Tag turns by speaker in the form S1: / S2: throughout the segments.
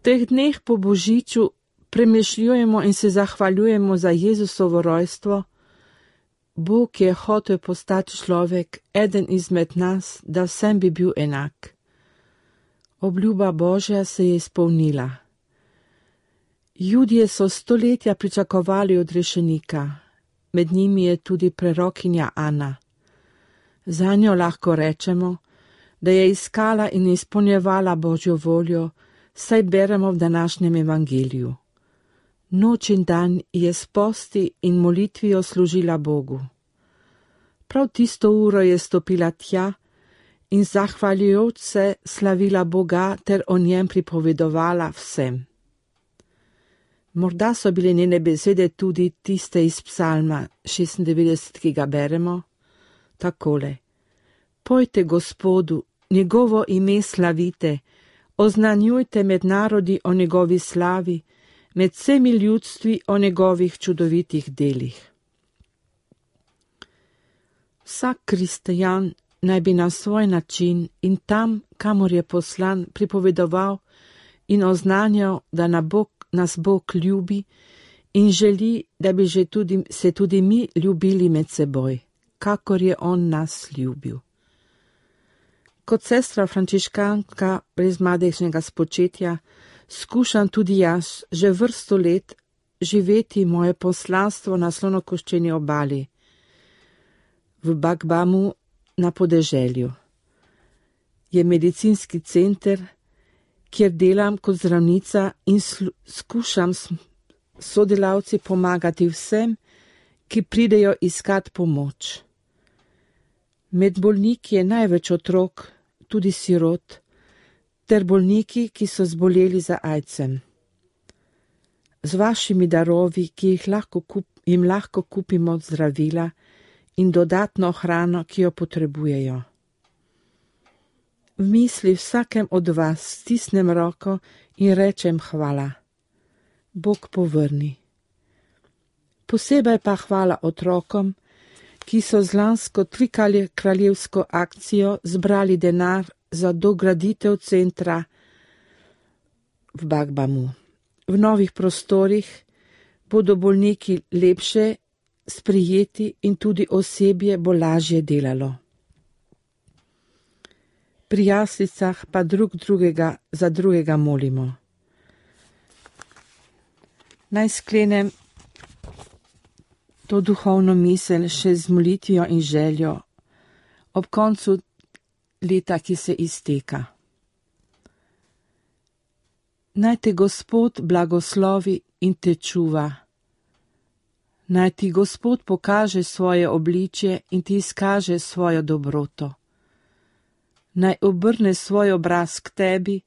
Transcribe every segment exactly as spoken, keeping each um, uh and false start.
S1: teh dneh po Božiču premišljujemo in se zahvaljujemo za Jezusovo rojstvo. Bog je hotel postati človek, eden izmed nas, da vsem bi bil enak. Obljuba Božja se je izpolnila. Judje so stoletja pričakovali odrešenika, med njimi je tudi prerokinja Ana. Zanjo lahko rečemo, da je iskala in izpolnjevala Božjo voljo, saj beremo v današnjem evangeliju. Noč in dan je s posti in molitvijo služila Bogu. Prav tisto uro je stopila tja in zahvaljujoč se slavila Boga ter o njem pripovedovala vsem. Morda so bile njene besede tudi tiste iz psalma šestindevetdeset, ki ga beremo, takole. Pojte Gospodu, njegovo ime slavite, oznanjujte med narodi o njegovi slavi, med vsemi ljudstvi o njegovih čudovitih delih. Vsak kristijan naj bi na svoj način in tam, kamor je poslan, pripovedoval in oznanjal, da na Bog, nas Bog ljubi in želi, da bi že tudi, se tudi mi ljubili med seboj, kakor je on nas ljubil. Kot sestra frančiškanka brez mladečnega spočetja skušam tudi jaz že vrsto let živeti moje poslanstvo na slonokoščeni obali, v Bagbamu na podeželju. Je medicinski center, kjer delam kot zdravnica in skušam s sodelavci pomagati vsem, ki pridejo iskat pomoč. Med bolniki je največ otrok, tudi sirot, ter bolniki, ki so zboleli za aidsom. Z vašimi darovi, ki jih lahko kup, jim lahko kupimo zdravila in dodatno hrano, ki jo potrebujejo. V misli vsakem od vas stisnem roko in rečem hvala. Bog povrni. Posebej pa hvala otrokom, ki so z lansko trikraljevsko akcijo zbrali denar za dograditev centra v Bagbamu. V novih prostorih bodo bolniki lepše sprijeti in tudi osebje bo lažje delalo. Pri jaslicah pa drug drugega za drugega molimo. Naj sklenem to duhovno misel še z molitvijo in željo ob koncu leta, ki se izteka. Naj te Gospod blagoslovi in te čuva. Naj ti Gospod pokaže svoje obličje in ti izkaže svojo dobroto. Naj obrne svoj obraz k tebi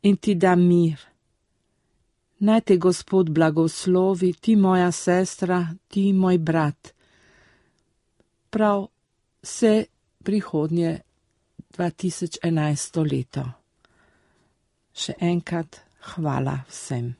S1: in ti da mir. Naj te Gospod blagoslovi, ti moja sestra, ti moj brat. Prav vse prihodnje dva tisoč enajsto leto. Še enkrat hvala vsem.